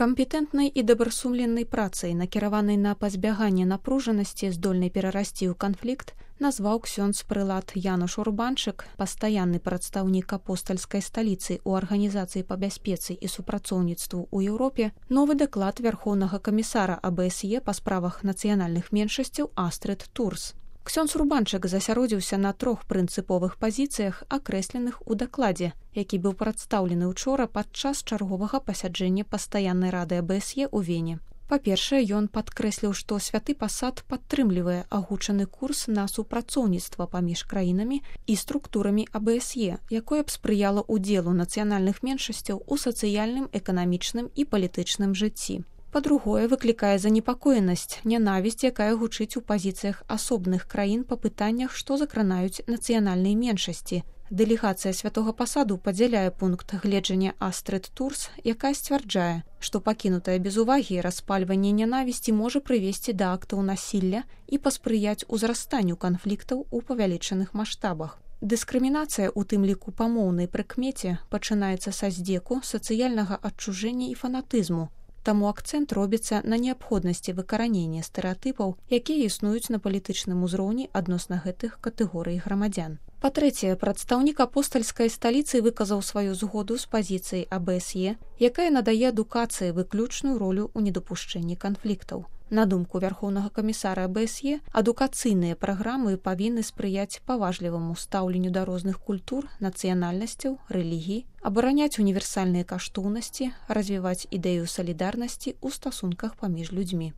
Кампетэнтнай і дабрасумленнай працай, накіраванай на пазбяганне напружанасці, здольнай перарасці ў канфлікт, назваў ксёндз прылад Януш Урбанчык, пастаянны прадстаўнік апостальскай сталіцы ў Арганізацыі па бяспецы і супрацоўніцтву ў Еўропе, новы даклад Вярхоўнага камісара АБСЕ па справах нацыянальных меншасцяў Астрыд Турс. Ксёндз Урбанчык засяродзіўся на 3 прынцыповых пазіцыях, акрэсленых у дакладзе, які быў прадстаўлены ўчора падчас чарговага пасяджэння пастаяннай рады АБСЕ ў Вене. Па-першае, ён падкрэсліў, што святы пасад падтрымлівае агучаны курс на супрацоўніцтва паміж краінамі і структурамі АБСЕ, якое б спрыяла ўдзелу нацыянальных меншасцяў у сацыяльным, эканамічным і палітычным жыцці. Па-другое, выклікае занепакоенасць, нянавісць, якая гучыць у пазіцыях асобных краін па пытаннях, што закранаюць нацыянальныя меншасці. Дэлегацыя святога пасаду падзяляе пункт гледжання Астрыд Турс, якая сцвярджае, што пакінутае без увагі распальванне нянавісці можа прывесці да актаў насілля і паспрыяць узрастанню канфліктаў у павялічаных маштабах. Дыскрымінацыя, у тым ліку па моўнай прыкмеце, пачынаецца са здзеку, сацыяльнага адчужэння і фанатызму. Таму акцэнт робіцца на неабходнасці выкаранення стэрэатыпаў, якія існуюць на палітычным узроўні адносна гэтых катэгорый грамадзян. Па-трэцяе, прадстаўнік апостальскай сталіцы выказаў сваю згоду з пазіцыяй АБСЕ, якая надае адукацыі выключную ролю ў недапушчэнні канфліктаў. На думку Вярхоўнага камісара АБСЕ, адукацыйныя праграмы павінны спрыяць паважліваму стаўленню да розных культур, нацыянальнасцяў, рэлігій, абараняць універсальныя каштоўнасці, развіваць ідэю салідарнасці ў стасунках паміж людзьмі.